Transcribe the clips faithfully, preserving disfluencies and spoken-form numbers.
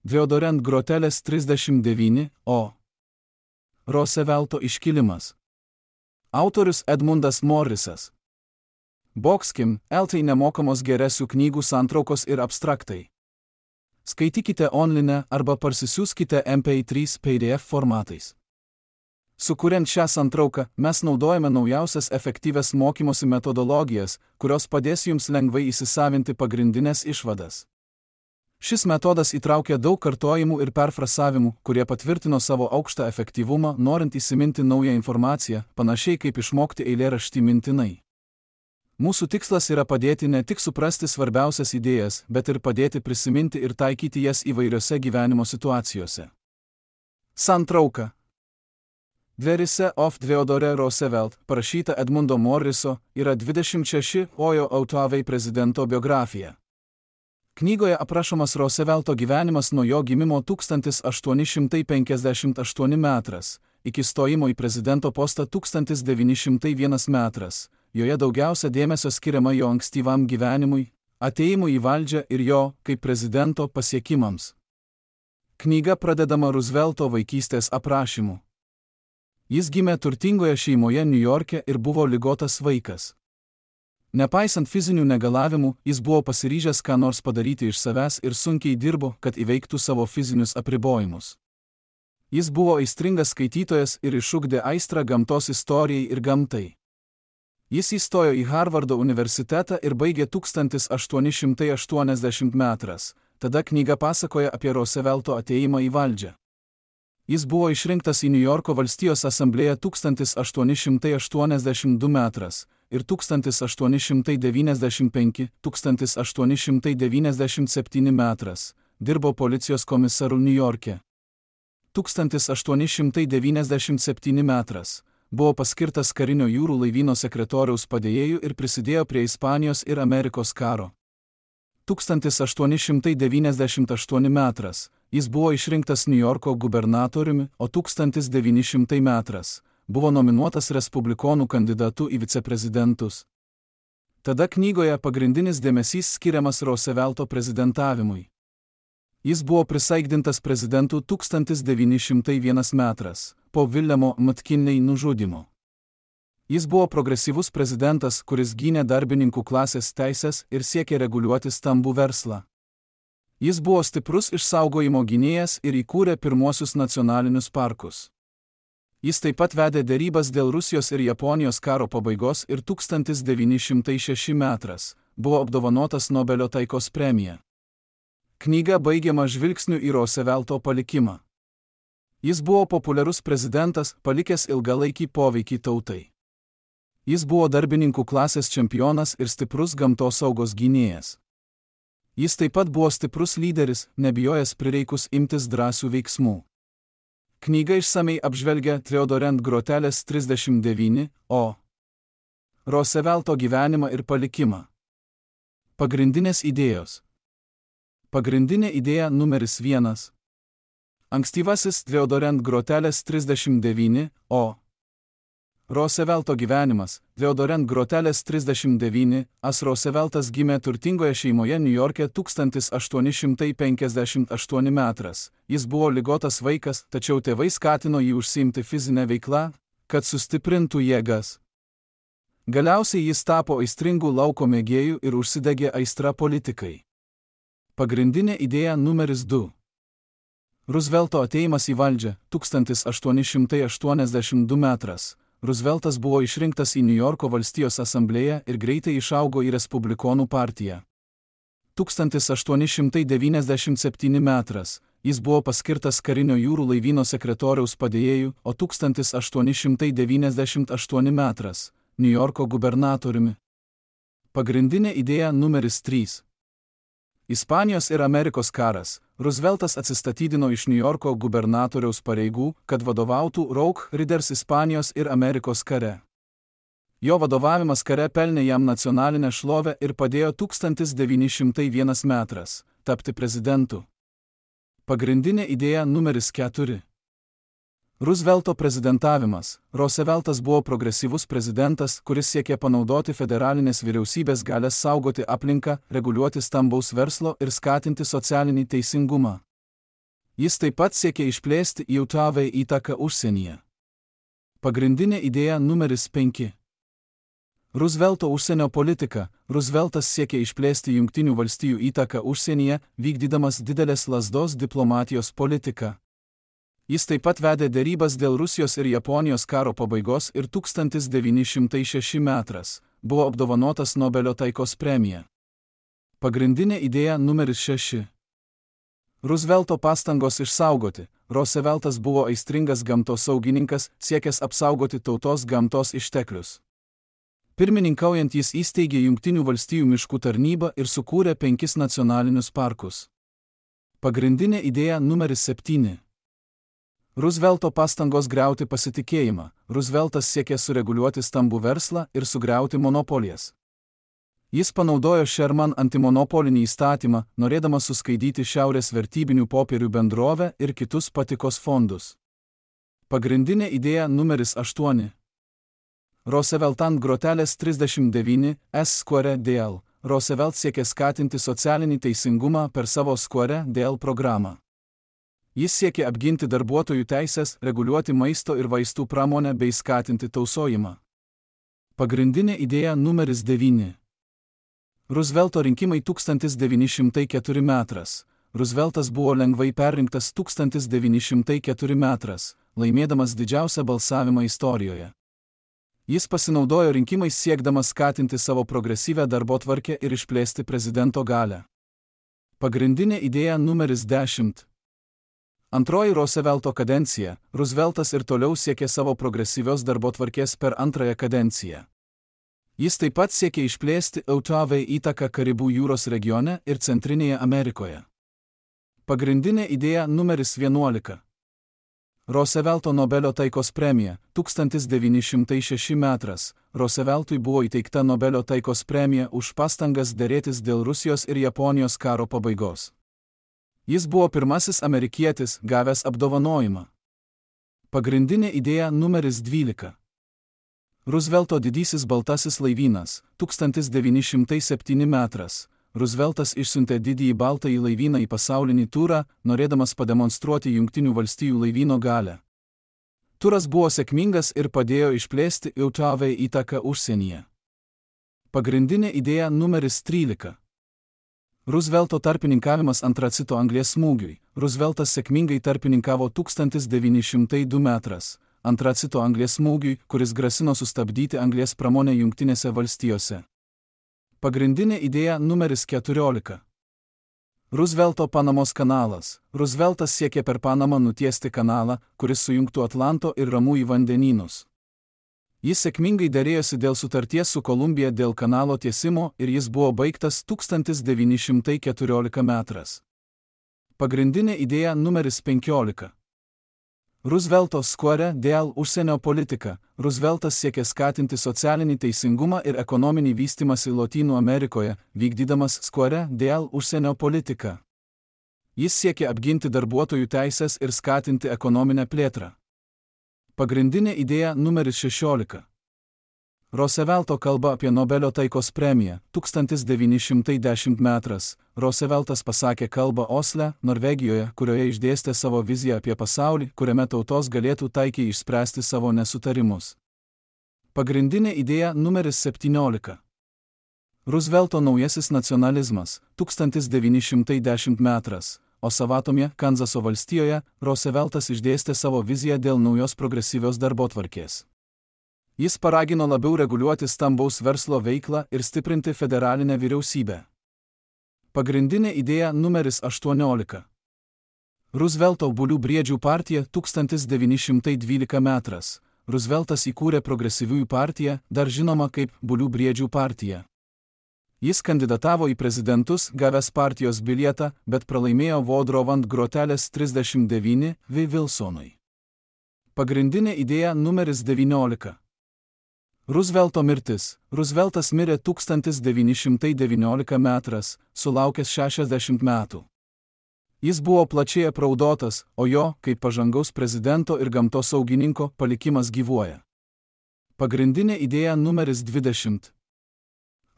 Theodorent Grotelės trisdešimt devyni O. Roosevelto iškilimas. Autorius Edmundas Morrisas. Boxkim, eltai nemokamos geresių knygų santraukos ir abstraktai. Skaitykite online arba parsisiųskite M P trys P D F formatais. Sukuriant šią santrauką, mes naudojame naujausias efektyvias mokymosi metodologijas, kurios padės jums lengvai įsisavinti pagrindinės išvadas. Šis metodas įtraukia daug kartojimų ir perfrasavimų, kurie patvirtino savo aukštą efektyvumą, norint įsiminti naują informaciją, panašiai kaip išmokti eilėraštį mintinai. Mūsų tikslas yra padėti ne tik suprasti svarbiausias idėjas, bet ir padėti prisiminti ir taikyti jas įvairiose gyvenimo situacijose. Santrauka. Dverise of Theodore Roosevelt, parašyta Edmundo Morriso, yra dvidešimt šeši Ojo Autoavei prezidento biografija. Knygoje aprašomas Roosevelto gyvenimas nuo jo gimimo tūkstantis aštuoni šimtai penkiasdešimt aštuoni metras, iki stojimo į prezidento postą tūkstantis devyni šimtai vienas metras. Joje daugiausia dėmesio skiriama jo ankstyvam gyvenimui, atėjimui į valdžią ir jo, kaip prezidento, pasiekimams. Knyga pradedama Roosevelto vaikystės aprašymu. Jis gimė turtingoje šeimoje Niujorke ir buvo ligotas vaikas. Nepaisant fizinių negalavimų, jis buvo pasiryžęs ką nors padaryti iš savęs ir sunkiai dirbo, kad įveiktų savo fizinius apribojimus. Jis buvo aistringas skaitytojas ir išugdė aistrą gamtos istorijai ir gamtai. Jis įstojo į Harvardo universitetą ir baigė tūkstantis aštuoni šimtai aštuoniasdešimt metras, tada knyga pasakoja apie Roosevelto atėjimą į valdžią. Jis buvo išrinktas į Niujorko valstijos asamblėją tūkstantis aštuoni šimtai aštuoniasdešimt du metras ir tūkstantis aštuoni šimtai devyniasdešimt penki - tūkstantis aštuoni šimtai devyniasdešimt septyni metras, dirbo policijos komisaru Niujorke. tūkstantis aštuoni šimtai devyniasdešimt septyni metras, buvo paskirtas karinio jūrų laivyno sekretoriaus padėjėju ir prisidėjo prie Ispanijos ir Amerikos karo. tūkstantis aštuoni šimtai devyniasdešimt aštuoni metras, jis buvo išrinktas Niujorko gubernatoriumi, o tūkstantis devyni šimtai metras, buvo nominuotas respublikonų kandidatu į viceprezidentus. Tada knygoje pagrindinis dėmesys skiriamas Roosevelto prezidentavimui. Jis buvo prisaikdintas prezidentu tūkstantis devyni šimtai vienas metras, po Williamo McKinley nužudymo. Jis buvo progresyvus prezidentas, kuris gynė darbininkų klasės teises ir siekė reguliuoti stambų verslą. Jis buvo stiprus išsaugojimo gynėjas ir įkūrė pirmuosius nacionalinius parkus. Jis taip pat vedė derybas dėl Rusijos ir Japonijos karo pabaigos ir tūkstantis devyni šimtai šeši metras, buvo apdovanotas Nobelio taikos premija. Knyga baigiama žvilgsniu į Roosevelto palikimą. Jis buvo populiarus prezidentas, palikęs ilgalaikį poveikį tautai. Jis buvo darbininkų klasės čempionas ir stiprus gamtosaugos gynėjas. Jis taip pat buvo stiprus lyderis, nebijojęs prireikus imtis drąsių veiksmų. Knyga išsamei apžvelgia Theodorent Grotelės trisdešimt devyni O. Roosevelto gyvenimą ir palikimą. Pagrindinės idėjos. Pagrindinė idėja numeris vienas. Ankstyvasis Theodorent Grotelės trisdešimt devyni O. Roosevelto gyvenimas. Theodorent Grotelės trisdešimt devyni As Rooseveltas gimė turtingoje šeimoje Niujorke tūkstantis aštuoni šimtai penkiasdešimt aštuoni metras. Jis buvo ligotas vaikas, tačiau tėvai skatino jį užsiimti fizinę veiklą, kad sustiprintų jėgas. Galiausiai jis tapo aistringų lauko mėgėjų ir užsidegė aistra politikai. Pagrindinė idėja numeris du. Roosevelto atėjimas į valdžią tūkstantis aštuoni šimtai aštuoniasdešimt du metras. Rooseveltas buvo išrinktas į Niujorko valstijos asamblėją ir greitai išaugo į Respublikonų partiją. tūkstantis aštuoni šimtai devyniasdešimt septyni metras, jis buvo paskirtas karinio jūrų laivyno sekretoriaus padėjėju, o tūkstantis aštuoni šimtai devyniasdešimt aštuoni metras, Niujorko gubernatoriumi. Pagrindinė idėja numeris trys. Ispanijos ir Amerikos karas. Rooseveltas atsistatydino iš Niujorko gubernatoriaus pareigų, kad vadovautų Rough Riders Ispanijos ir Amerikos kare. Jo vadovavimas kare pelnė jam nacionalinę šlovę ir padėjo tūkstantis devyni šimtai vienas metras tapti prezidentu. Pagrindinė idėja numeris keturi. Roosevelto prezidentavimas. Rooseveltas buvo progresyvus prezidentas, kuris siekė panaudoti federalinės vyriausybės galias saugoti aplinką, reguliuoti stambaus verslo ir skatinti socialinį teisingumą. Jis taip pat siekė išplėsti J A V įtaką užsienyje. Pagrindinė idėja numeris penki. Roosevelto užsienio politika. Rooseveltas siekė išplėsti Jungtinių valstijų įtaką užsienyje, vykdydamas didelės lazdos diplomatijos politiką. Jis taip pat vedė derybas dėl Rusijos ir Japonijos karo pabaigos ir tūkstantis devyni šimtai šešti metais buvo apdovanotas Nobelio taikos premija. Pagrindinė idėja numeris šeši. Roosevelto pastangos išsaugoti. Rooseveltas buvo aistringas gamtosaugininkas, siekęs apsaugoti tautos gamtos išteklius. Pirmininkaujant jis įsteigė Jungtinių valstijų miškų tarnybą ir sukūrė penkis nacionalinius parkus. Pagrindinė idėja numeris septyni. Roosevelto pastangos griauti pasitikėjimą. Rooseveltas siekė sureguliuoti stambų verslą ir sugriauti monopolijas. Jis panaudojo Sherman antimonopolinį įstatymą, norėdamas suskaidyti Šiaurės vertybinių popierių bendrovę ir kitus patikos fondus. Pagrindinė idėja numeris aštuoni. Roosevelt ant grotelės trisdešimt devyni S Square D L. Roosevelt siekė skatinti socialinį teisingumą per savo Square D L programą. Jis siekė apginti darbuotojų teisės, reguliuoti maisto ir vaistų pramonę bei skatinti tausojimą. Pagrindinė idėja numeris devyni. Roosevelto rinkimai tūkstantis devyni šimtai ketvirti metais. Rooseveltas buvo lengvai perrinktas tūkstantis devyni šimtai ketvirti metais, laimėdamas didžiausią balsavimą istorijoje. Jis pasinaudojo rinkimais siekdamas skatinti savo progresyvę darbotvarkę ir išplėsti prezidento galią. Pagrindinė idėja numeris dešimt. Antroji Roosevelto kadencija. Rooseveltas ir toliau siekė savo progresyvios darbotvarkės per antrąją kadenciją. Jis taip pat siekė išplėsti J A V įtaką Karibų jūros regione ir Centrinėje Amerikoje. Pagrindinė idėja numeris vienuolika. Roosevelto Nobelio taikos premija. tūkstantis devyni šimtai šešti metais Rooseveltui buvo įteikta Nobelio taikos premija už pastangas derėtis dėl Rusijos ir Japonijos karo pabaigos. Jis buvo pirmasis amerikietis, gavęs apdovanojimą. Pagrindinė idėja numeris dvylika. Roosevelto didysis baltasis laivynas. tūkstantis devyni šimtai septinti metais Rooseveltas išsiuntė didįjį baltąjį laivyną į pasaulinį turą, norėdamas pademonstruoti Jungtinių valstijų laivyno galią. Turas buvo sėkmingas ir padėjo išplėsti J A V įtaką užsienyje. Pagrindinė idėja numeris trylika. Roosevelto tarpininkavimas antracito anglies smūgiui. Rooseveltas sėkmingai tarpininkavo tūkstantis devyni šimtai du metais antracito anglies smūgiui, kuris grasino sustabdyti anglies pramonę Jungtinėse valstijose. Pagrindinė idėja numeris keturiolika. Roosevelto Panamos kanalas. Rooseveltas siekė per Panamą nutiesti kanalą, kuris sujungtų Atlanto ir Ramųjį vandenynus. Jis sėkmingai derėjosi dėl sutarties su Kolumbija dėl kanalo tiesimo ir jis buvo baigtas tūkstantis devyni šimtai keturiolikti metais. Pagrindinė idėja numeris penkiolika. Roosevelto Square D L užsienio politika. Rooseveltas siekė skatinti socialinį teisingumą ir ekonominį vystymąsi Lotynų Amerikoje, vykdydamas Square D L užsienio politiką. Jis siekė apginti darbuotojų teisės ir skatinti ekonominę plėtrą. Pagrindinė idėja numeris šešiolika. Roosevelto kalba apie Nobelio taikos premiją. tūkstantis devyni šimtai dešimti metais Rooseveltas pasakė kalbą Osle, Norvegijoje, kurioje išdėstė savo viziją apie pasaulį, kuriame tautos galėtų taikiai išspręsti savo nesutarimus. Pagrindinė idėja numeris septyniolika. Roosevelto naujasis nacionalizmas. tūkstantis devyni šimtai dešimti metais Osavatomje, Kanzaso valstijoje, Rooseveltas išdėstė savo viziją dėl naujos progresyvios darbotvarkės. Jis paragino labiau reguliuoti stambaus verslo veiklą ir stiprinti federalinę vyriausybę. Pagrindinė idėja numeris aštuoniolika. Roosevelto Bulių briedžių partija tūkstantis devyni šimtai dvylikti metais. Rooseveltas įkūrė progresyviųjų partiją, dar žinoma kaip Bulių briedžių partija. Jis kandidatavo į prezidentus, gavęs partijos bilietą, bet pralaimėjo Woodrow ant grotelės trisdešimt devyni V. Wilsonui. Pagrindinė idėja numeris devyniolika. Roosevelto mirtis. Rooseveltas mirė tūkstantis devyni šimtai devyniolikti metais, sulaukęs šešiasdešimt metų. Jis buvo plačiai apraudotas, o jo, kaip pažangaus prezidento ir gamtosaugininko, palikimas gyvuoja. Pagrindinė idėja numeris dvidešimt.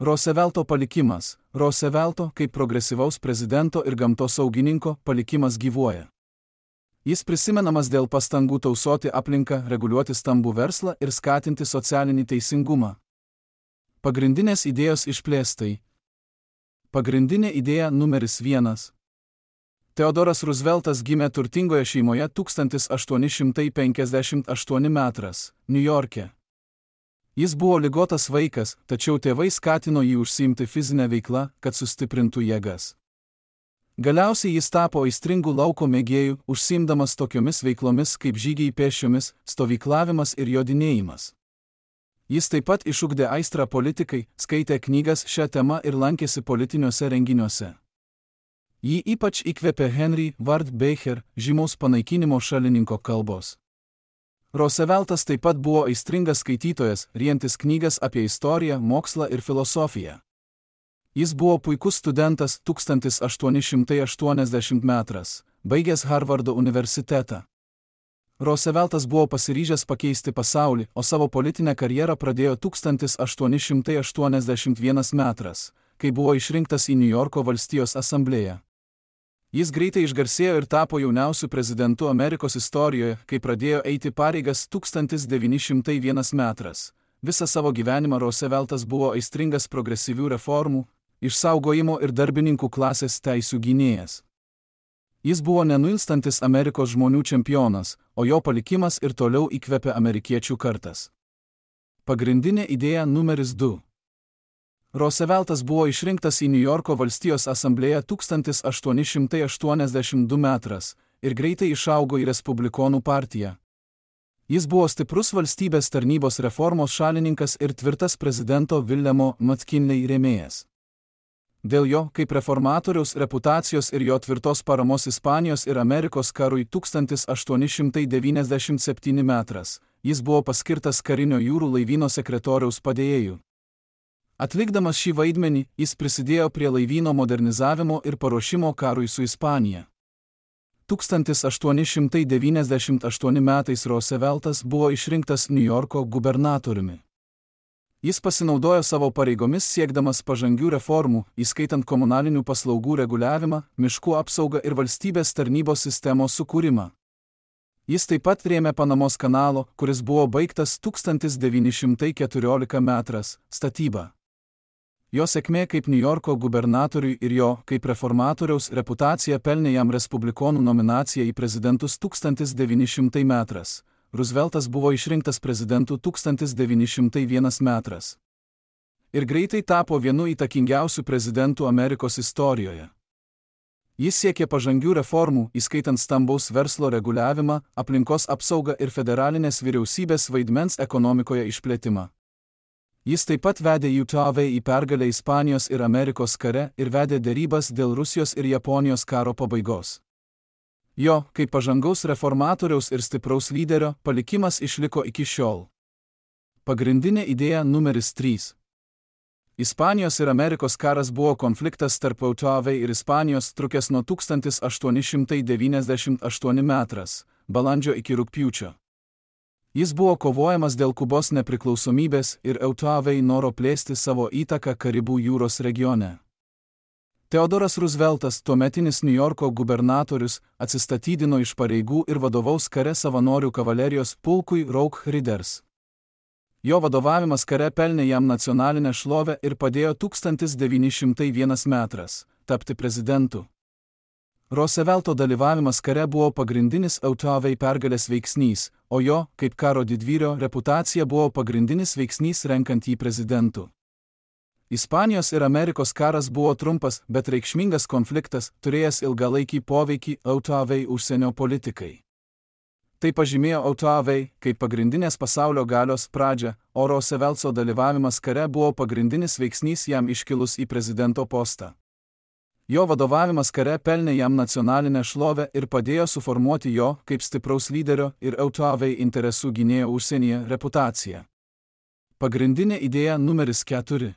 Roosevelto palikimas. Roosevelto, kaip progresyvaus prezidento ir gamtosaugininko, palikimas gyvuoja. Jis prisimenamas dėl pastangų tausoti aplinką, reguliuoti stambų verslą ir skatinti socialinį teisingumą. Pagrindinės idėjos išplėstai. Pagrindinė idėja numeris vienas. Teodoras Rooseveltas gimė turtingoje šeimoje tūkstantis aštuoni šimtai penkiasdešimt aštuoni metras, Niujorke. Jis buvo ligotas vaikas, tačiau tėvai skatino jį užsiimti fizinę veiklą, kad sustiprintų jėgas. Galiausiai jis tapo aistringų lauko mėgėjų, užsiimdamas tokiomis veiklomis kaip žygiai pėsčiomis, stovyklavimas ir jodinėjimas. Jis taip pat išugdė aistrą politikai, skaitė knygas šią temą ir lankėsi politiniuose renginiuose. Jį ypač įkvėpė Henry Ward Beecher, žymaus panaikinimo šalininko kalbos. Rooseveltas taip pat buvo aistringas skaitytojas, rientis knygas apie istoriją, mokslą ir filosofiją. Jis buvo puikus studentas tūkstantis aštuoni šimtai aštuoniasdešimt metras, baigęs Harvardo universitetą. Rooseveltas buvo pasiryžęs pakeisti pasaulį, o savo politinę karjerą pradėjo tūkstantis aštuoni šimtai aštuoniasdešimt vienas metras, kai buvo išrinktas į Niujorko valstijos asamblėją. Jis greitai išgarsėjo ir tapo jauniausiu prezidentu Amerikos istorijoje, kai pradėjo eiti pareigas tūkstantis devyni šimtai vienas metras. Visą savo gyvenimą Rooseveltas buvo aistringas progresyvių reformų, išsaugojimo ir darbininkų klasės teisių gynėjas. Jis buvo nenuilstantis Amerikos žmonių čempionas, o jo palikimas ir toliau įkvepia amerikiečių kartas. Pagrindinė idėja numeris du. Rooseveltas buvo išrinktas į Niujorko valstijos asamblėją tūkstantis aštuoni šimtai aštuoniasdešimt du metras ir greitai išaugo į Respublikonų partiją. Jis buvo stiprus valstybės tarnybos reformos šalininkas ir tvirtas prezidento Williamo McKinley rėmėjas. Dėl jo, kaip reformatoriaus reputacijos ir jo tvirtos paramos Ispanijos ir Amerikos karui tūkstantis aštuoni šimtai devyniasdešimt septyni metras, jis buvo paskirtas karinio jūrų laivyno sekretoriaus padėjėju. Atlikdamas šį vaidmenį, jis prisidėjo prie laivyno modernizavimo ir paruošimo karui su Ispanija. tūkstantis aštuoni šimtai devyniasdešimt aštuoni metais Rooseveltas buvo išrinktas Niujorko gubernatoriumi. Jis pasinaudojo savo pareigomis siekdamas pažangių reformų, įskaitant komunalinių paslaugų reguliavimą, miškų apsaugą ir valstybės tarnybos sistemos sukūrimą. Jis taip pat rėmė Panamos kanalo, kuris buvo baigtas tūkstantis devyni šimtai keturiolika metras, statybą. Jo sėkmė kaip Niujorko gubernatoriui ir jo, kaip reformatoriaus reputacija pelnė jam Respublikonų nominaciją į prezidentus tūkstantis devyni šimtai metras. Rooseveltas buvo išrinktas prezidentu tūkstantis devyni šimtai vienas metras. Ir greitai tapo vienu įtakingiausių prezidentų Amerikos istorijoje. Jis siekė pažangių reformų, įskaitant stambaus verslo reguliavimą, aplinkos apsaugą ir federalinės vyriausybės vaidmens ekonomikoje išplėtimą. Jis taip pat vedė U T V į pergalę Ispanijos ir Amerikos kare ir vedė derybas dėl Rusijos ir Japonijos karo pabaigos. Jo, kaip pažangaus reformatoriaus ir stipraus lyderio, palikimas išliko iki šiol. Pagrindinė idėja numeris trys. Ispanijos ir Amerikos karas buvo konfliktas tarp U T V ir Ispanijos trukęs nuo tūkstantis aštuoni šimtai devyniasdešimt aštuoni metras, balandžio iki rugpjūčio. Jis buvo kovojamas dėl Kubos nepriklausomybės ir U T V noro plėsti savo įtaką Karibų jūros regione. Teodoras Rooseveltas, tuometinis Niujorko gubernatorius, atsistatydino iš pareigų ir vadovaus kare savanorių kavalerijos pulkui Rough Riders. Jo vadovavimas kare pelnė jam nacionalinę šlovę ir padėjo tūkstantis devyni šimtai vienas metras tapti prezidentu. Roosevelto dalyvavimas kare buvo pagrindinis U T V pergalės veiksnys, o jo, kaip karo didvyrio, reputacija buvo pagrindinis veiksnys renkant jį prezidentu. Ispanijos ir Amerikos karas buvo trumpas, bet reikšmingas konfliktas, turėjęs ilgalaikį poveikį U T V užsienio politikai. Tai pažymėjo U T V kaip pagrindinės pasaulio galios pradžią, o Roosevelto dalyvavimas kare buvo pagrindinis veiksnys jam iškilus į prezidento postą. Jo vadovavimas kare pelnė jam nacionalinę šlovę ir padėjo suformuoti jo, kaip stipraus lyderio ir U T V interesų gynėjo užsienyje reputaciją. Pagrindinė idėja numeris keturi.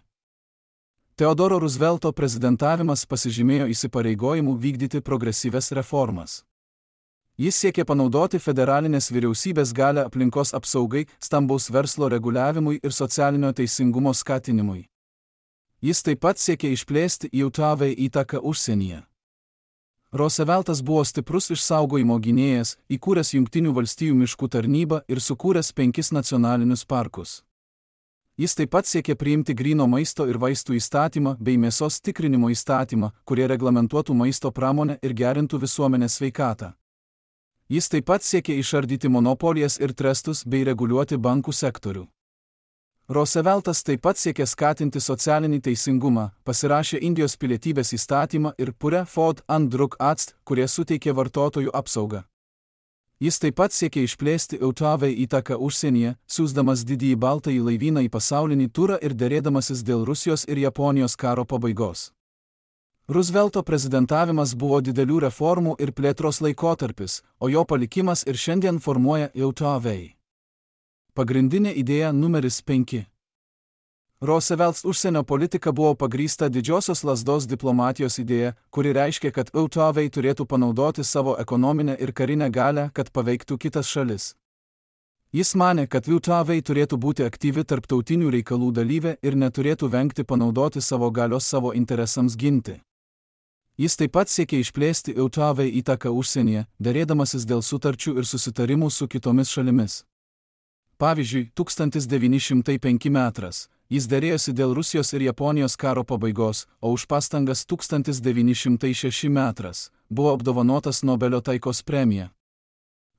Teodoro Roosevelto prezidentavimas pasižymėjo įsipareigojimu vykdyti progresyves reformas. Jis siekė panaudoti federalinės vyriausybės galią aplinkos apsaugai, stambaus verslo reguliavimui ir socialinio teisingumo skatinimui. Jis taip pat siekė išplėsti U T V įtaką užsienyje. Rooseveltas buvo stiprus išsaugojimo gynėjas, įkūręs Jungtinių valstijų miškų tarnybą ir sukūręs penkis nacionalinius parkus. Jis taip pat siekė priimti gryno maisto ir vaistų įstatymą bei mėsos tikrinimo įstatymą, kurie reglamentuotų maisto pramonę ir gerintų visuomenės sveikatą. Jis taip pat siekė išardyti monopolijas ir trestus bei reguliuoti bankų sektorių. Rooseveltas taip pat siekė skatinti socialinį teisingumą, pasirašė Indijos pilietybės įstatymą ir Pure Food and Drug Act, kurie suteikė vartotojų apsaugą. Jis taip pat siekė išplėsti U T V įtaką užsienyje, siųsdamas didįjį baltąjį laivyną į pasaulinį turą ir derėdamasis dėl Rusijos ir Japonijos karo pabaigos. Roosevelto prezidentavimas buvo didelių reformų ir plėtros laikotarpis, o jo palikimas ir šiandien formuoja U T V. Pagrindinė idėja numeris penki. Roosevelts užsienio politika buvo pagrįsta didžiosios lazdos diplomatijos idėja, kuri reiškia, kad U T V turėtų panaudoti savo ekonominę ir karinę galią, kad paveiktų kitas šalis. Jis manė, kad U T V turėtų būti aktyvi tarptautinių reikalų dalyvė ir neturėtų vengti panaudoti savo galios savo interesams ginti. Jis taip pat siekė išplėsti U T V įtaką užsienyje, derėdamasis dėl sutarčių ir susitarimų su kitomis šalimis. Pavyzdžiui, tūkstantis devyni šimtai penkti metras, jis derėjosi dėl Rusijos ir Japonijos karo pabaigos, o už pastangas tūkstantis devyni šimtai šešti metras buvo apdovanotas Nobelio taikos premija.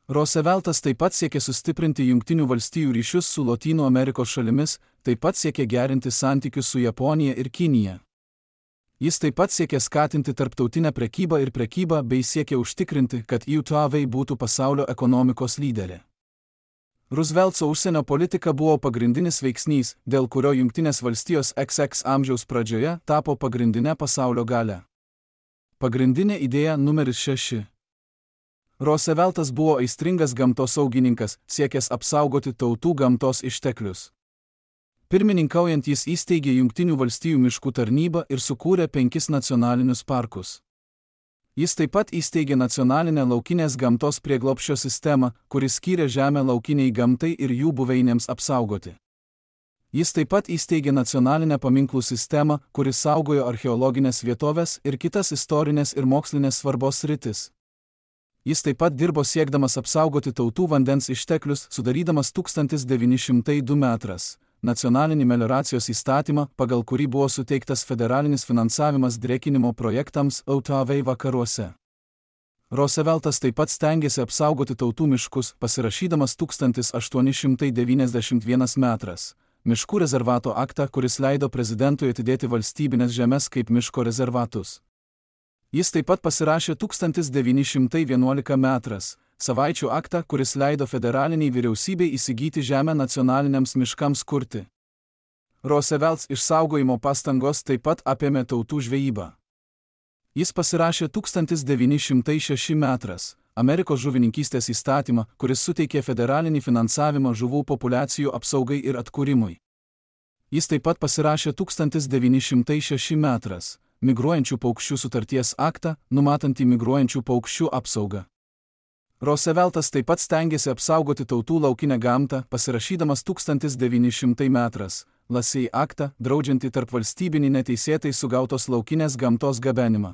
Rooseveltas taip pat siekė sustiprinti Jungtinių valstijų ryšius su Lotynų Amerikos šalimis, taip pat siekė gerinti santykius su Japonija ir Kinija. Jis taip pat siekė skatinti tarptautinę prekybą ir prekybą bei siekė užtikrinti, kad U T V būtų pasaulio ekonomikos lyderė. Roosevelto užsienio politika buvo pagrindinis veiksnys, dėl kurio Jungtinės valstijos X X amžiaus pradžioje tapo pagrindinė pasaulio galia. Pagrindinė idėja numeris šeši. Rooseveltas buvo aistringas gamtosaugininkas, siekęs apsaugoti tautų gamtos išteklius. Pirmininkaujant jis įsteigė Jungtinių valstijų miškų tarnybą ir sukūrė penkis nacionalinius parkus. Jis taip pat įsteigė nacionalinę laukinės gamtos prieglobsčio sistemą, kuris skyrė žemę laukiniai gamtai ir jų buveinėms apsaugoti. Jis taip pat įsteigė nacionalinę paminklų sistemą, kuris saugojo archeologinės vietovės ir kitas istorinės ir mokslinės svarbos sritis. Jis taip pat dirbo siekdamas apsaugoti tautų vandens išteklius, sudarydamas tūkstantis devyni šimtai du metras. Nacionalinį melioracijos įstatymą, pagal kurį buvo suteiktas federalinis finansavimas drėkinimo projektams U T V vakaruose. Rooseveltas taip pat stengėsi apsaugoti tautų miškus, pasirašydamas tūkstantis aštuoni šimtai devyniasdešimt vienas metras miškų rezervato aktą, kuris leido prezidentui atidėti valstybinės žemes kaip miško rezervatus. Jis taip pat pasirašė tūkstantis devyni šimtai vienuolika metras savaičių aktą, kuris leido federaliniai vyriausybei įsigyti žemę nacionaliniams miškams kurti. Roosevelts išsaugojimo pastangos taip pat apėmė tautų žvejybą. Jis pasirašė tūkstantis devyni šimtai šešti metras Amerikos žuvininkystės įstatymą, kuris suteikė federalinį finansavimą žuvų populiacijų apsaugai ir atkūrimui. Jis taip pat pasirašė tūkstantis devyni šimtai šešti metras migruojančių paukščių sutarties aktą, numatantį migruojančių paukščių apsaugą. Rooseveltas taip pat stengėsi apsaugoti tautų laukinę gamtą, pasirašydamas tūkstantis devyni šimtai metras Lasei aktą, draudžiantį tarpvalstybinį neteisėtai sugautos laukinės gamtos gabenimą.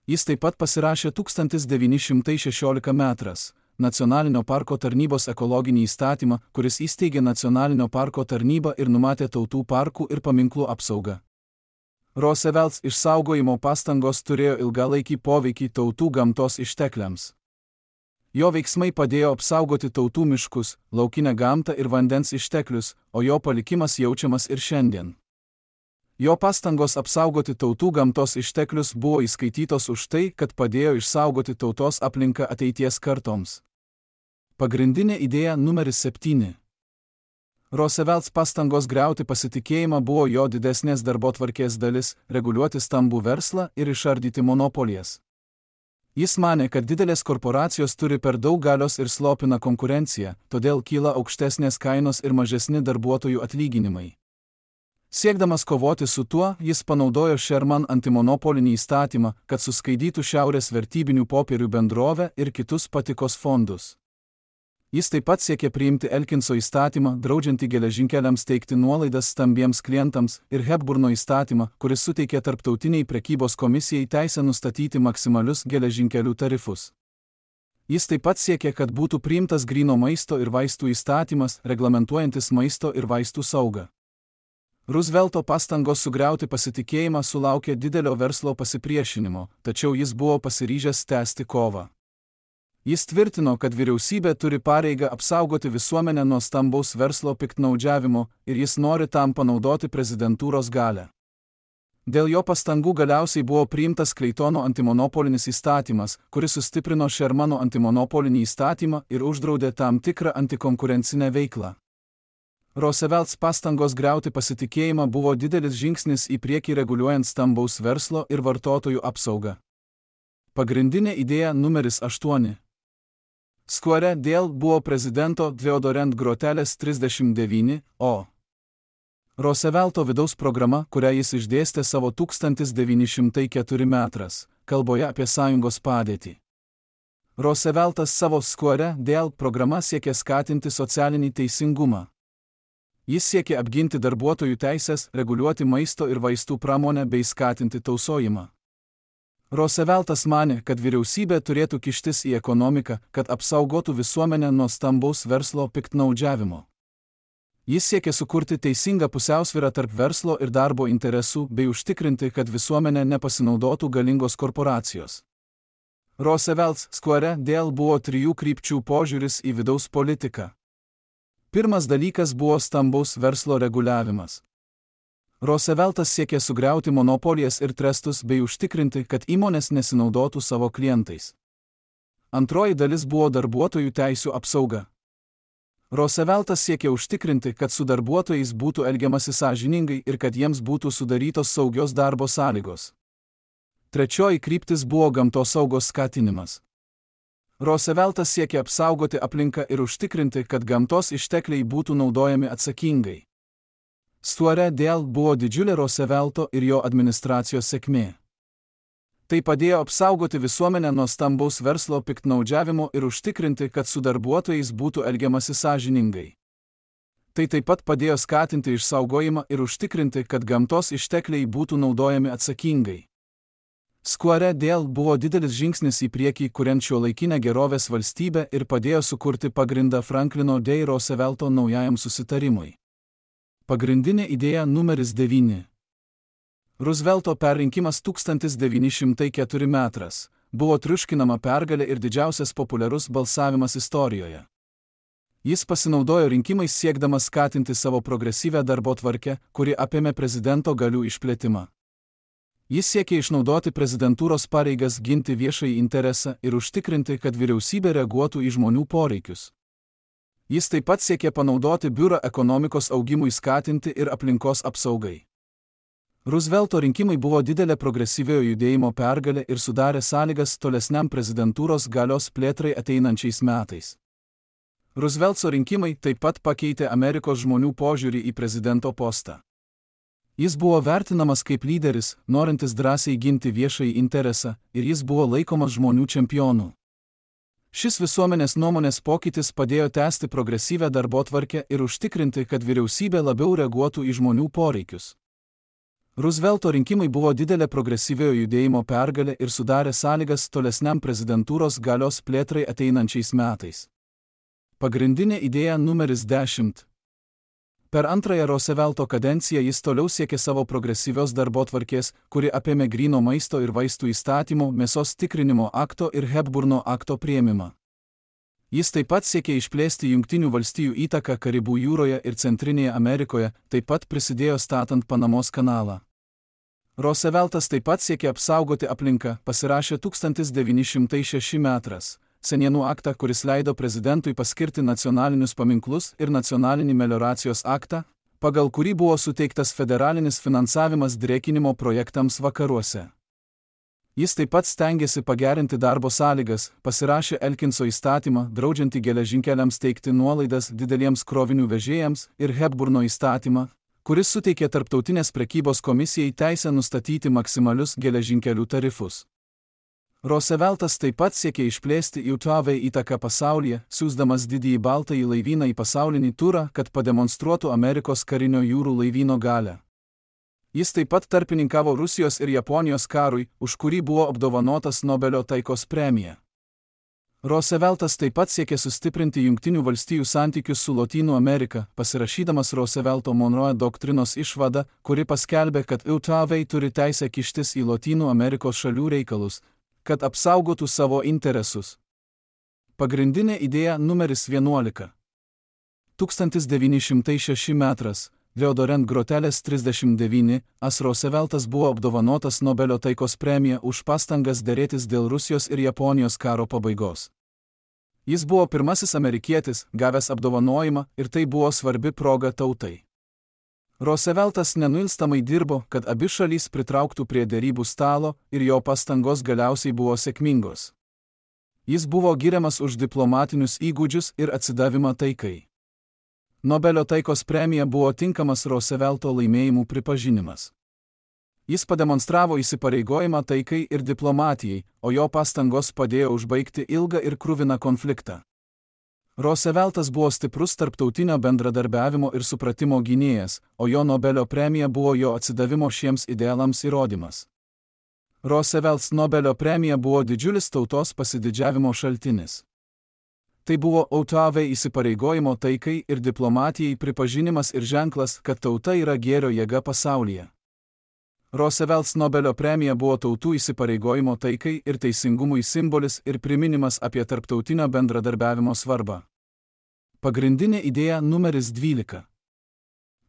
Jis taip pat pasirašė tūkstantis devyni šimtai šešiolika metras Nacionalinio parko tarnybos ekologinį įstatymą, kuris įsteigė Nacionalinio parko tarnybą ir numatė tautų parkų ir paminklų apsaugą. Roosevelts išsaugojimo pastangos turėjo ilgalaikį poveikį tautų gamtos ištekliams. Jo veiksmai padėjo apsaugoti tautų miškus, laukinę gamtą ir vandens išteklius, o jo palikimas jaučiamas ir šiandien. Jo pastangos apsaugoti tautų gamtos išteklius buvo įskaitytos už tai, kad padėjo išsaugoti tautos aplinką ateities kartoms. Pagrindinė idėja numeris septyni. Roosevelts pastangos griauti pasitikėjimą buvo jo didesnės darbotvarkės dalis, reguliuoti stambų verslą ir išardyti monopolijas. Jis manė, kad didelės korporacijos turi per daug galios ir slopina konkurenciją, todėl kyla aukštesnės kainos ir mažesni darbuotojų atlyginimai. Siekdamas kovoti su tuo, jis panaudojo Sherman antimonopolinį įstatymą, kad suskaidytų Šiaurės vertybinių popierių bendrovę ir kitus patikos fondus. Jis taip pat siekė priimti Elkinso įstatymą, draudžiantį geležinkeliams teikti nuolaidas stambiems klientams, ir Hepburno įstatymą, kuris suteikė Tarptautiniai prekybos komisijai teisę nustatyti maksimalius geležinkelių tarifus. Jis taip pat siekė, kad būtų priimtas gryno maisto ir vaistų įstatymas, reglamentuojantis maisto ir vaistų saugą. Roosevelto pastangos sugriauti pasitikėjimą sulaukė didelio verslo pasipriešinimo, tačiau jis buvo pasiryžęs tęsti kovą. Jis tvirtino, kad vyriausybė turi pareigą apsaugoti visuomenę nuo stambaus verslo piktnaudžiavimo ir jis nori tam panaudoti prezidentūros galią. Dėl jo pastangų galiausiai buvo priimtas Kleitono antimonopolinis įstatymas, kuris sustiprino Shermano antimonopolinį įstatymą ir uždraudė tam tikrą antikonkurencinę veiklą. Roosevelts pastangos griauti pasitikėjimą buvo didelis žingsnis į priekį reguliuojant stambaus verslo ir vartotojų apsaugą. Pagrindinė idėja numeris aštuoni. Square dėl buvo prezidento Theodorent Grotelės trisdešimt devyni, o. Roosevelto vidaus programa, kurią jis išdėstė savo tūkstantis devyni šimtai keturi metras, kalboje apie sąjungos padėtį. Rooseveltas savo Square dėl programa siekė skatinti socialinį teisingumą. Jis siekė apginti darbuotojų teisės, reguliuoti maisto ir vaistų pramonę bei skatinti tausojimą. Rooseveltas manė, kad vyriausybė turėtų kištis į ekonomiką, kad apsaugotų visuomenę nuo stambaus verslo piktnaudžiavimo. Jis siekė sukurti teisingą pusiausvyrą tarp verslo ir darbo interesų bei užtikrinti, kad visuomenė nepasinaudotų galingos korporacijos. Roosevelts Square dėl buvo trijų krypčių požiūris į vidaus politiką. Pirmas dalykas buvo stambaus verslo reguliavimas. Rooseveltas siekė sugriauti monopolijas ir trestus bei užtikrinti, kad įmonės nesinaudotų savo klientais. Antroji dalis buvo darbuotojų teisių apsauga. Rooseveltas siekė užtikrinti, kad su darbuotojais būtų elgiamasi sąžiningai ir kad jiems būtų sudarytos saugios darbo sąlygos. Trečioji kryptis buvo gamtosaugos skatinimas. Rooseveltas siekė apsaugoti aplinką ir užtikrinti, kad gamtos ištekliai būtų naudojami atsakingai. Square dėl buvo didžiulė Roosevelto ir jo administracijos sėkmė. Tai padėjo apsaugoti visuomenę nuo stambaus verslo piktnaudžiavimo ir užtikrinti, kad su darbuotojais būtų elgiamasi sąžiningai. Tai taip pat padėjo skatinti išsaugojimą ir užtikrinti, kad gamtos ištekliai būtų naudojami atsakingai. Square dėl buvo didelis žingsnis į priekį, kuriant šiuolaikinę gerovės valstybę ir padėjo sukurti pagrindą Franklino D. Roosevelto naujajam susitarimui. Pagrindinė idėja numeris devyni. Roosevelto perrinkimas tūkstantis devyni šimtai keturi metras buvo triuškinama pergalė ir didžiausias populiarus balsavimas istorijoje. Jis pasinaudojo rinkimais siekdamas skatinti savo progresyvę darbotvarkę, kuri apėmė prezidento galių išplėtimą. Jis siekė išnaudoti prezidentūros pareigas ginti viešąjį interesą ir užtikrinti, kad vyriausybė reaguotų į žmonių poreikius. Jis taip pat siekė panaudoti biurą ekonomikos augimui skatinti ir aplinkos apsaugai. Roosevelto rinkimai buvo didelė progresyviojo judėjimo pergalė ir sudarė sąlygas tolesniam prezidentūros galios plėtrai ateinančiais metais. Roosevelto rinkimai taip pat pakeitė Amerikos žmonių požiūrį į prezidento postą. Jis buvo vertinamas kaip lyderis, norintis drąsiai ginti viešąjį interesą, ir jis buvo laikomas žmonių čempionu. Šis visuomenės nuomonės pokytis padėjo tęsti progresyvę darbotvarkę ir užtikrinti, kad vyriausybė labiau reaguotų į žmonių poreikius. Roosevelto rinkimai buvo didelė progresyviojo judėjimo pergalė ir sudarė sąlygas tolesniam prezidentūros galios plėtrai ateinančiais metais. Pagrindinė idėja numeris dešimt. Per antrąją Roosevelto kadenciją jis toliau siekė savo progresyvios darbotvarkės, kuri apėmė gryno maisto ir vaistų įstatymo, mėsos tikrinimo akto ir Hepburno akto priėmimą. Jis taip pat siekė išplėsti Jungtinių valstijų įtaką Karibų jūroje ir Centrinėje Amerikoje, taip pat prisidėjo statant Panamos kanalą. Rooseveltas taip pat siekė apsaugoti aplinką, pasirašė tūkstantis devyni šimtai šeši metras. Senienų aktą, kuris leido prezidentui paskirti nacionalinius paminklus ir nacionalinį melioracijos aktą, pagal kurį buvo suteiktas federalinis finansavimas drėkinimo projektams vakaruose. Jis taip pat stengėsi pagerinti darbo sąlygas, pasirašė Elkinso įstatymą, draudžiantį geležinkeliams teikti nuolaidas dideliems krovinių vežėjams, ir Hepburno įstatymą, kuris suteikė Tarptautinės prekybos komisijai teisę nustatyti maksimalius geležinkelių tarifus. Rooseveltas taip pat siekė išplėsti U T A V įtaką pasaulyje, siųsdamas didįjį baltąjį laivyną į pasaulinį turą, kad pademonstruotų Amerikos karinio jūrų laivyno galią. Jis taip pat tarpininkavo Rusijos ir Japonijos karui, už kurį buvo apdovanotas Nobelio taikos premija. Rooseveltas taip pat siekė sustiprinti Jungtinių valstijų santykius su Lotynų Amerika, pasirašydamas Roosevelto-Monroe doktrinos išvadą, kuri paskelbė, kad U T A V turi teisę kištis į Lotynų Amerikos šalių reikalus, kad apsaugotų savo interesus. Pagrindinė idėja numeris vienuolika. tūkstantis devyni šimtai šešti metras. Theodorent Groteles trisdešimt devyni, as Rooseveltas buvo apdovanotas Nobelio taikos premija už pastangas derėtis dėl Rusijos ir Japonijos karo pabaigos. Jis buvo pirmasis amerikietis, gavęs apdovanojimą, ir tai buvo svarbi proga tautai. Rooseveltas nenuilstamai dirbo, kad abi šalys pritrauktų prie derybų stalo, ir jo pastangos galiausiai buvo sėkmingos. Jis buvo giriamas už diplomatinius įgūdžius ir atsidavimą taikai. Nobelio taikos premija buvo tinkamas Roosevelto laimėjimų pripažinimas. Jis pademonstravo įsipareigojimą taikai ir diplomatijai, o jo pastangos padėjo užbaigti ilgą ir kruviną konfliktą. Rooseveltas buvo stiprus tarptautinio bendradarbiavimo ir supratimo gynėjas, o jo Nobelio premija buvo jo atsidavimo šiems idealams įrodymas. Rooseveltas Nobelio premija buvo didžiulis tautos pasididžiavimo šaltinis. Tai buvo U T A V įsipareigojimo taikai ir diplomatijai pripažinimas ir ženklas, kad tauta yra gėrio jėga pasaulyje. Rooseveltas Nobelio premija buvo tautų įsipareigojimo taikai ir teisingumui simbolis ir priminimas apie tarptautinio bendradarbiavimo svarbą. Pagrindinė idėja numeris dvylika.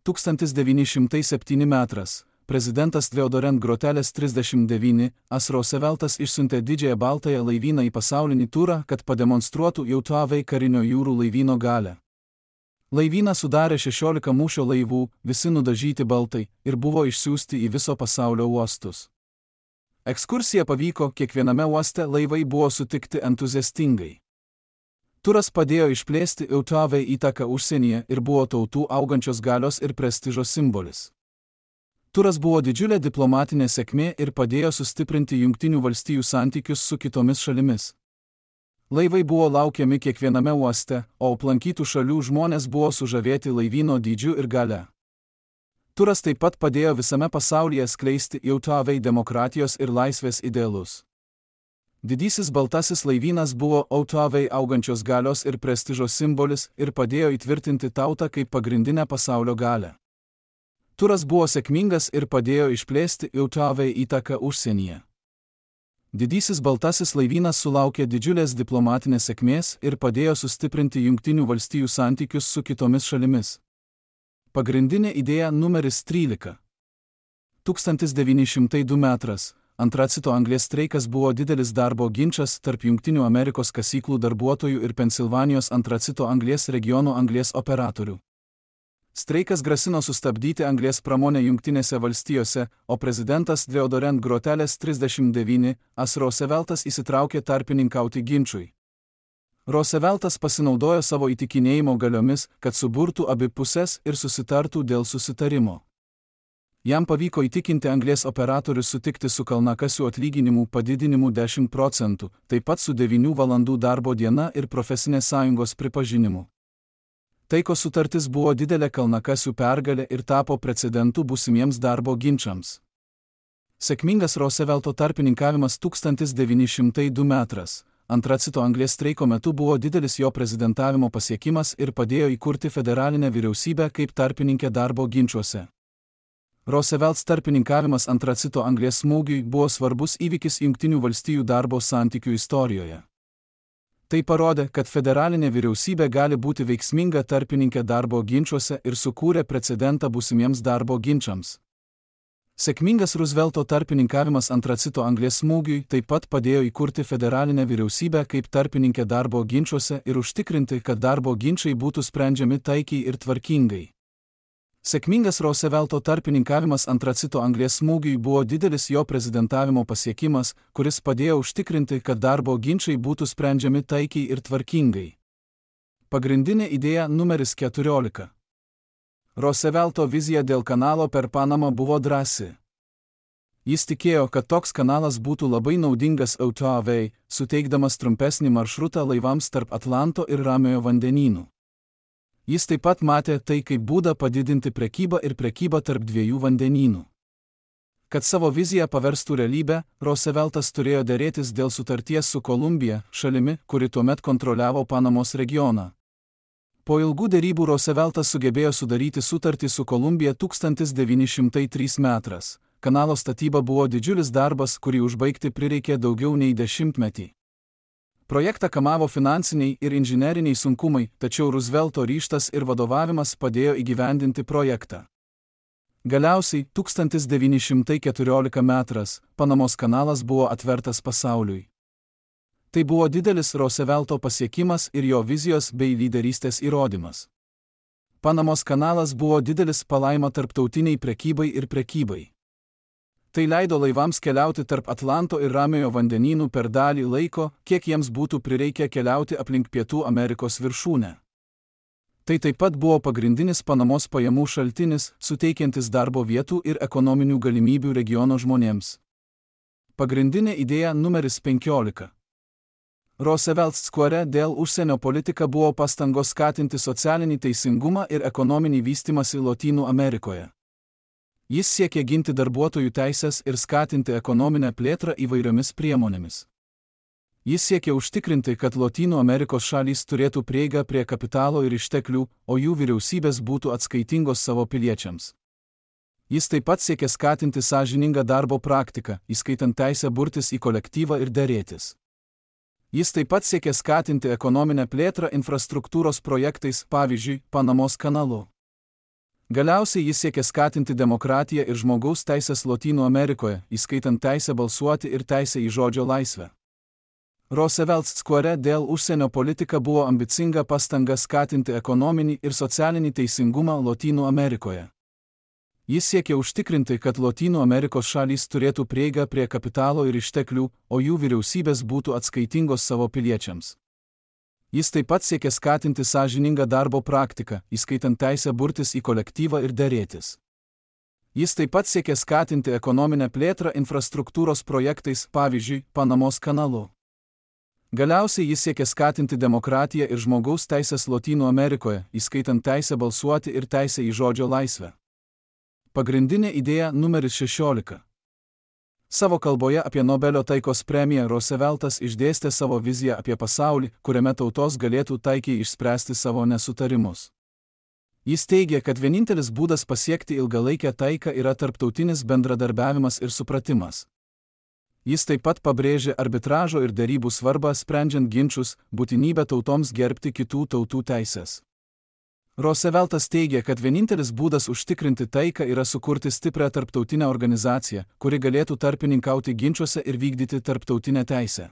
tūkstantis devyni šimtai septinti metras. Prezidentas Theodorent Groteles trisdešimt devyni, as Rooseveltas išsiuntė didžiąją baltąją laivyną į pasaulinį turą, kad pademonstruotų U T A V karinio jūrų laivyno galią. Laivyną sudarė šešiolika mūšio laivų, visi nudažyti baltai, ir buvo išsiųsti į viso pasaulio uostus. Ekskursija pavyko, kiekviename uoste laivai buvo sutikti entuziastingai. Turas padėjo išplėsti U T A V įtaką užsienyje ir buvo tautų augančios galios ir prestižo simbolis. Turas buvo didžiulė diplomatinė sėkmė ir padėjo sustiprinti Jungtinių valstijų santykius su kitomis šalimis. Laivai buvo laukiami kiekviename uoste, o aplankytų šalių žmonės buvo sužavėti laivyno dydžiu ir gale. Turas taip pat padėjo visame pasaulyje skleisti U T A V demokratijos ir laisvės idealus. Didysis baltasis laivynas buvo U T A V augančios galios ir prestižo simbolis ir padėjo įtvirtinti tautą kaip pagrindinę pasaulio galią. Turas buvo sėkmingas ir padėjo išplėsti U T A V įtaką užsienyje. Didysis baltasis laivynas sulaukė didžiulės diplomatinės sėkmės ir padėjo sustiprinti Jungtinių valstijų santykius su kitomis šalimis. Pagrindinė idėja numeris trylika. tūkstantis devyni šimtai du metras. Antracito anglies streikas buvo didelis darbo ginčas tarp Jungtinių Amerikos kasyklų darbuotojų ir Pensilvanijos antracito anglies regiono anglies operatorių. Streikas grasino sustabdyti anglies pramonę Jungtinėse valstijose, o prezidentas Theodorent Groteles trisdešimt devyni, as Rooseveltas įsitraukė tarpininkauti ginčui. Rooseveltas pasinaudojo savo įtikinėjimo galiomis, kad suburtų abi pusės ir susitartų dėl susitarimo. Jam pavyko įtikinti anglies operatorius sutikti su kalnakasių atlyginimų padidinimu dešimt procentų, taip pat su devynių valandų darbo diena ir profesinės sąjungos pripažinimu. Taikos sutartis buvo didelė kalnakasių pergalė ir tapo precedentu būsimiems darbo ginčams. Sėkmingas Roosevelto tarpininkavimas tūkstantis devyni šimtai du metras. Antracito anglies streiko metu buvo didelis jo prezidentavimo pasiekimas ir padėjo įkurti federalinę vyriausybę kaip tarpininkė darbo ginčiuose. Rooseveltas tarpininkavimas antracito anglies smūgiui buvo svarbus įvykis Jungtinių valstijų darbo santykių istorijoje. Tai parodė, kad federalinė vyriausybė gali būti veiksminga tarpininkė darbo ginčiuose ir sukūrė precedentą būsimiems darbo ginčams. Sėkmingas Roosevelto tarpininkavimas antracito anglies smūgiui taip pat padėjo įkurti federalinę vyriausybę kaip tarpininkė darbo ginčiuose ir užtikrinti, kad darbo ginčiai būtų sprendžiami taikiai ir tvarkingai. Sėkmingas Roosevelto tarpininkavimas antracito anglies smūgiui buvo didelis jo prezidentavimo pasiekimas, kuris padėjo užtikrinti, kad darbo ginčiai būtų sprendžiami taikiai ir tvarkingai. Pagrindinė idėja numeris keturiolika. Roosevelto vizija dėl kanalo per Panamą buvo drąsi. Jis tikėjo, kad toks kanalas būtų labai naudingas autoavei, suteikdamas trumpesnį maršrutą laivams tarp Atlanto ir Ramiojo vandenynų. Jis taip pat matė tai kaip būdą padidinti prekybą ir prekybą tarp dviejų vandenynų. Kad savo viziją paverstų realybę, Rooseveltas turėjo derėtis dėl sutarties su Kolumbija, šalimi, kuri tuomet kontroliavo Panamos regioną. Po ilgų derybų Rooseveltas sugebėjo sudaryti sutartį su Kolumbija tūkstantis devyni šimtai trečiais metais. Kanalo statyba buvo didžiulis darbas, kurį užbaigti prireikė daugiau nei dešimtmetį. Projektą kamavo finansiniai ir inžineriniai sunkumai, tačiau Roosevelto ryžtas ir vadovavimas padėjo įgyvendinti projektą. Galiausiai, tūkstantis devyni šimtai keturioliktais metais, Panamos kanalas buvo atvertas pasauliui. Tai buvo didelis Roosevelto pasiekimas ir jo vizijos bei lyderystės įrodymas. Panamos kanalas buvo didelis palaima tarptautiniai prekybai ir prekybai. Tai leido laivams keliauti tarp Atlanto ir Ramiojo vandenynų per dalį laiko, kiek jiems būtų prireikę keliauti aplink Pietų Amerikos viršūnę. Tai taip pat buvo pagrindinis Panamos pajamų šaltinis, suteikiantis darbo vietų ir ekonominių galimybių regiono žmonėms. Pagrindinė idėja numeris penkiolika. Roosevelt Square dėl užsienio politika buvo pastangos skatinti socialinį teisingumą ir ekonominį vystymąsi Lotynų Amerikoje. Jis siekė ginti darbuotojų teisės ir skatinti ekonominę plėtrą įvairiomis priemonėmis. Jis siekė užtikrinti, kad Lotynų Amerikos šalys turėtų prieigą prie kapitalo ir išteklių, o jų vyriausybės būtų atskaitingos savo piliečiams. Jis taip pat siekė skatinti sąžiningą darbo praktiką, įskaitant teisę burtis į kolektyvą ir derėtis. Jis taip pat siekė skatinti ekonominę plėtrą infrastruktūros projektais, pavyzdžiui, Panamos kanalu. Galiausiai jis siekė skatinti demokratiją ir žmogaus teisės Lotynų Amerikoje, įskaitant teisę balsuoti ir teisę į žodžio laisvę. Roosevelt Square dėl užsienio politika buvo ambicinga pastanga skatinti ekonominį ir socialinį teisingumą Lotynų Amerikoje. Jis siekė užtikrinti, kad Lotynų Amerikos šalys turėtų prieigą prie kapitalo ir išteklių, o jų vyriausybės būtų atskaitingos savo piliečiams. Jis taip pat siekė skatinti sąžiningą darbo praktiką, įskaitant teisę burtis į kolektyvą ir derėtis. Jis taip pat siekė skatinti ekonominę plėtrą infrastruktūros projektais, pavyzdžiui, Panamos kanalu. Galiausiai jis siekė skatinti demokratiją ir žmogaus teisės Lotynų Amerikoje, įskaitant teisę balsuoti ir teisę į žodžio laisvę. Pagrindinė idėja numeris šešiolika. Savo kalboje apie Nobelio taikos premiją Rooseveltas išdėstė savo viziją apie pasaulį, kuriame tautos galėtų taikiai išspręsti savo nesutarimus. Jis teigė, kad vienintelis būdas pasiekti ilgalaikę taiką yra tarptautinis bendradarbiavimas ir supratimas. Jis taip pat pabrėžė arbitražo ir derybų svarbą sprendžiant ginčus, būtinybę tautoms gerbti kitų tautų teisės. Rooseveltas teigė, kad vienintelis būdas užtikrinti taiką yra sukurti stiprią tarptautinę organizaciją, kuri galėtų tarpininkauti ginčuose ir vykdyti tarptautinę teisę.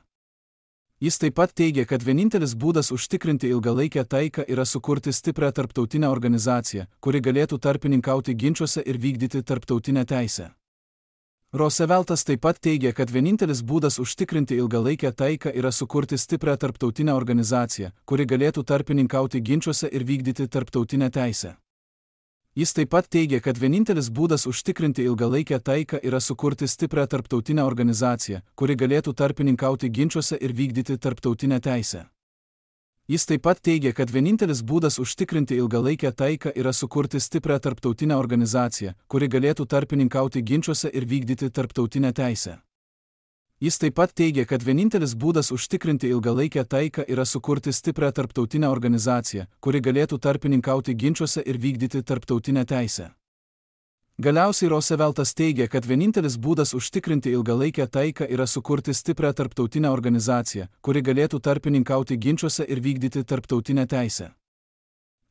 Jis taip pat teigė, kad vienintelis būdas užtikrinti ilgalaikę taiką yra sukurti stiprią tarptautinę organizaciją, kuri galėtų tarpininkauti ginčuose ir vykdyti tarptautinę teisę. Rooseveltas taip pat teigė, kad vienintelis būdas užtikrinti ilgalaikę taiką yra sukurti stiprią tarptautinę organizaciją, kuri galėtų tarpininkauti ginčuose ir vykdyti tarptautinę teisę. Jis taip pat teigė, kad vienintelis būdas užtikrinti ilgalaikę taiką yra sukurti stiprią tarptautinę organizaciją, kuri galėtų tarpininkauti ginčuose ir vykdyti tarptautinę teisę. Jis taip pat teigė, kad vienintelis būdas užtikrinti ilgalaikę taiką yra sukurti stiprią tarptautinę organizaciją, kuri galėtų tarpininkauti ginčuose ir vykdyti tarptautinę teisę. Jis taip pat teigė, kad vienintelis būdas užtikrinti ilgalaikę taiką yra sukurti stiprią tarptautinę organizaciją, kuri galėtų tarpininkauti ginčuose ir vykdyti tarptautinę teisę. Galiausiai Rooseveltas teigė, kad vienintelis būdas užtikrinti ilgalaikę taiką yra sukurti stiprią tarptautinę organizaciją, kuri galėtų tarpininkauti ginčuose ir vykdyti tarptautinę teisę.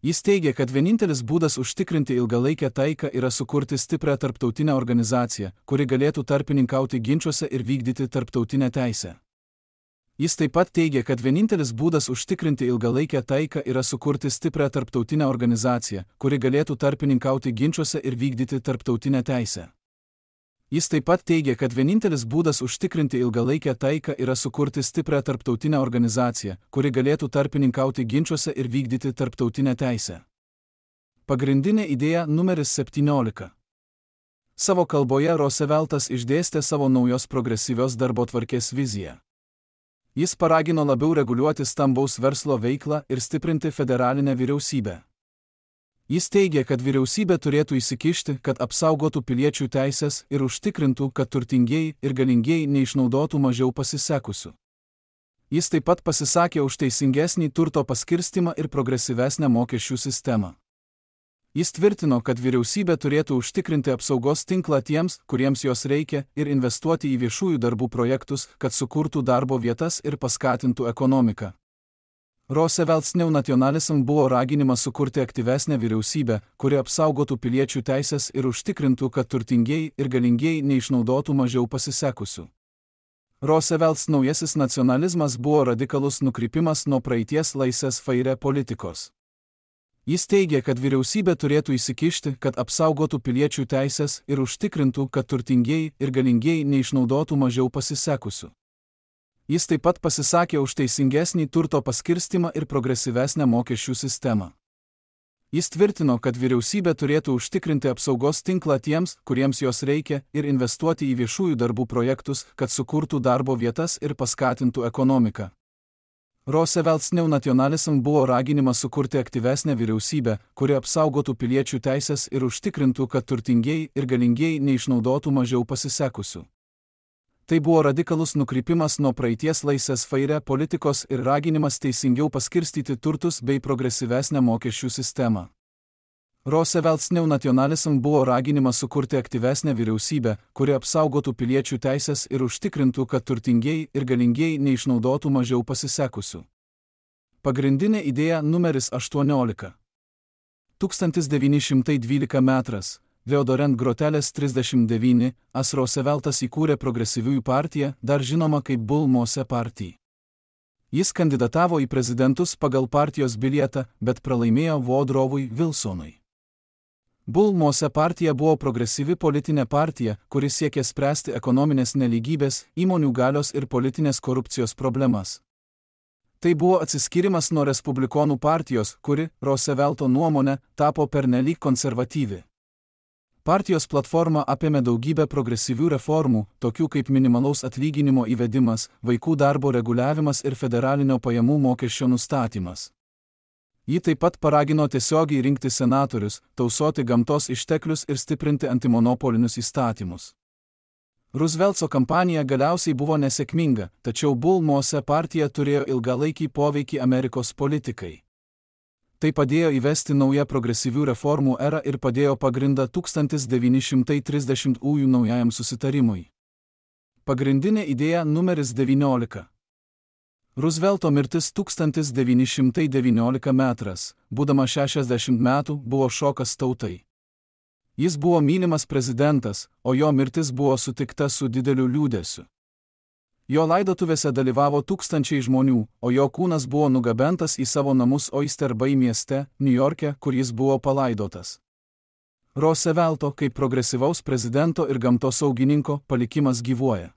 Jis teigė, kad vienintelis būdas užtikrinti ilgalaikę taiką yra sukurti stiprią tarptautinę organizaciją, kuri galėtų tarpininkauti ginčuose ir vykdyti tarptautinę teisę. Jis taip pat teigė, kad vienintelis būdas užtikrinti ilgalaikę taiką yra sukurti stiprią tarptautinę organizaciją, kuri galėtų tarpininkauti ginčuose ir vykdyti tarptautinę teisę. Jis taip pat teigė, kad vienintelis būdas užtikrinti ilgalaikę taiką yra sukurti stiprią tarptautinę organizaciją, kuri galėtų tarpininkauti ginčuose ir vykdyti tarptautinę teisę. Pagrindinė idėja numeris septyniolika. Savo kalboje Rooseveltas išdėstė savo naujos progresyvios darbotvarkės viziją. Jis paragino labiau reguliuoti stambaus verslo veiklą ir stiprinti federalinę vyriausybę. Jis teigė, kad vyriausybė turėtų įsikišti, kad apsaugotų piliečių teisės ir užtikrintų, kad turtingieji ir galingieji neišnaudotų mažiau pasisekusių. Jis taip pat pasisakė už teisingesnį turto paskirstimą ir progresyvesnę mokesčių sistemą. Jis tvirtino, kad vyriausybė turėtų užtikrinti apsaugos tinklą tiems, kuriems jos reikia, ir investuoti į viešųjų darbų projektus, kad sukurtų darbo vietas ir paskatintų ekonomiką. Roosevelt's neonacionalism buvo raginimas sukurti aktyvesnę vyriausybę, kuri apsaugotų piliečių teisės ir užtikrintų, kad turtingieji ir galingieji neišnaudotų mažiau pasisekusių. Roosevelt's naujasis nacionalizmas buvo radikalus nukrypimas nuo praeities laissez-faire politikos. Jis teigė, kad vyriausybė turėtų įsikišti, kad apsaugotų piliečių teisės ir užtikrintų, kad turtingieji ir galingieji neišnaudotų mažiau pasisekusių. Jis taip pat pasisakė už teisingesnį turto paskirstimą ir progresyvesnę mokesčių sistemą. Jis tvirtino, kad vyriausybė turėtų užtikrinti apsaugos tinklą tiems, kuriems jos reikia, ir investuoti į viešųjų darbų projektus, kad sukurtų darbo vietas ir paskatintų ekonomiką. Roosevelt's neonacionalism buvo raginimas sukurti aktyvesnę vyriausybę, kuri apsaugotų piliečių teisės ir užtikrintų, kad turtingieji ir galingieji neišnaudotų mažiau pasisekusių. Tai buvo radikalus nukrypimas nuo praeities laissez-faire politikos ir raginimas teisingiau paskirstyti turtus bei progresyvesnę mokesčių sistemą. Roosevelt's neonacionalism buvo raginimas sukurti aktyvesnę vyriausybę, kuri apsaugotų piliečių teisės ir užtikrintų, kad turtingieji ir galingieji neišnaudotų mažiau pasisekusių. Pagrindinė idėja numeris aštuoniolika. tūkstantis devyni šimtai dvyliktas metras, Theodorent Groteles trisdešimt devyni, as Rooseveltas įkūrė progresyviųjų partiją, dar žinoma kaip Bull Moose Party. Jis kandidatavo į prezidentus pagal partijos bilietą, bet pralaimėjo Woodrowui Wilsonui. Bull Moose partija buvo progresyvi politinė partija, kuri siekė spręsti ekonominės nelygybės, įmonių galios ir politinės korupcijos problemas. Tai buvo atsiskyrimas nuo respublikonų partijos, kuri, Roosevelto nuomone, tapo pernelyg konservatyvi. Partijos platforma apėmė daugybę progresyvių reformų, tokių kaip minimalaus atlyginimo įvedimas, vaikų darbo reguliavimas ir federalinio pajamų mokesčio nustatymas. Ji taip pat paragino tiesiogiai rinkti senatorius, tausoti gamtos išteklius ir stiprinti antimonopolinius įstatymus. Roosevelto kampanija galiausiai buvo nesėkminga, tačiau Bull Moose partija turėjo ilgalaikį poveikį Amerikos politikai. Tai padėjo įvesti naują progresyvių reformų erą ir padėjo pagrindą tūkstantis devyni šimtai trisdešimtųjų naujajam susitarimui. Pagrindinė idėja numeris devyniolika. Roosevelto mirtis tūkstantis devyni šimtai devynioliktas metras, būdamas šešiasdešimt metų, buvo šokas tautai. Jis buvo mylimas prezidentas, o jo mirtis buvo sutikta su dideliu liūdesiu. Jo laidotuvėse dalyvavo tūkstančiai žmonių, o jo kūnas buvo nugabentas į savo namus Oyster Bay mieste, Niujorke, kur jis buvo palaidotas. Roosevelto, kaip progresyvaus prezidento ir gamtosaugininko, palikimas gyvuoja.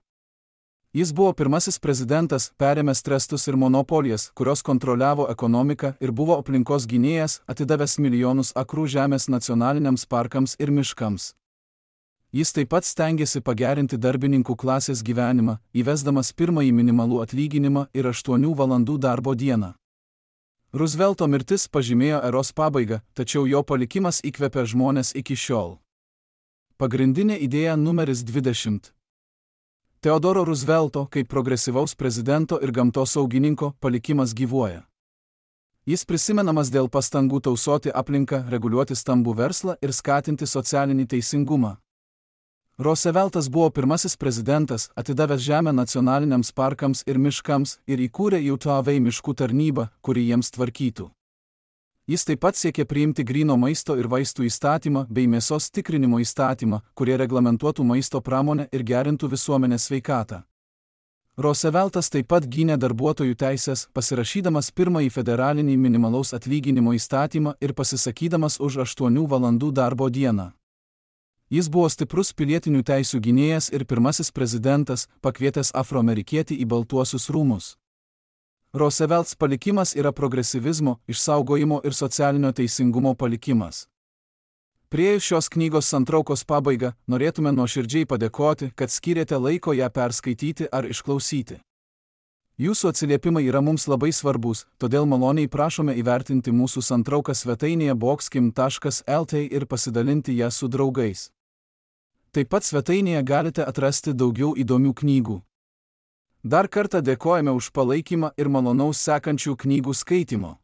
Jis buvo pirmasis prezidentas, perėmęs trestus ir monopolijas, kurios kontroliavo ekonomiką, ir buvo aplinkos gynėjas, atidavęs milijonus akrų žemės nacionaliniams parkams ir miškams. Jis taip pat stengėsi pagerinti darbininkų klasės gyvenimą, įvesdamas pirmąjį minimalų atlyginimą ir aštuonių valandų darbo dieną. Roosevelto mirtis pažymėjo eros pabaigą, tačiau jo palikimas įkvepia žmones iki šiol. Pagrindinė idėja numeris dvidešimt. Theodoro Roosevelto, kaip progresyvaus prezidento ir gamtosaugininko, palikimas gyvuoja. Jis prisimenamas dėl pastangų tausoti aplinką, reguliuoti stambų verslą ir skatinti socialinį teisingumą. Rooseveltas buvo pirmasis prezidentas, atidavęs žemę nacionaliniams parkams ir miškams ir įkūrė Utah Valley miškų tarnybą, kuri jiems tvarkytų. Jis taip pat siekė priimti gryno maisto ir vaistų įstatymą bei mėsos tikrinimo įstatymą, kurie reglamentuotų maisto pramonę ir gerintų visuomenės sveikatą. Rooseveltas taip pat gynė darbuotojų teisės, pasirašydamas pirmąjį federalinį minimalaus atlyginimo įstatymą ir pasisakydamas už aštuonių valandų darbo dieną. Jis buvo stiprus pilietinių teisių gynėjas ir pirmasis prezidentas, pakvietęs afroamerikietį į Baltuosius rūmus. Roosevelts palikimas yra progresyvizmo, išsaugojimo ir socialinio teisingumo palikimas. Priėjus šios knygos santraukos pabaigą, norėtume nuoširdžiai padėkoti, kad skyrėte laiko ją perskaityti ar išklausyti. Jūsų atsiliepimai yra mums labai svarbus, todėl maloniai prašome įvertinti mūsų santrauką svetainėje boxkim taškas lt ir pasidalinti ją su draugais. Taip pat svetainėje galite atrasti daugiau įdomių knygų. Dar kartą dėkojame už palaikymą ir malonaus sekančių knygų skaitimo.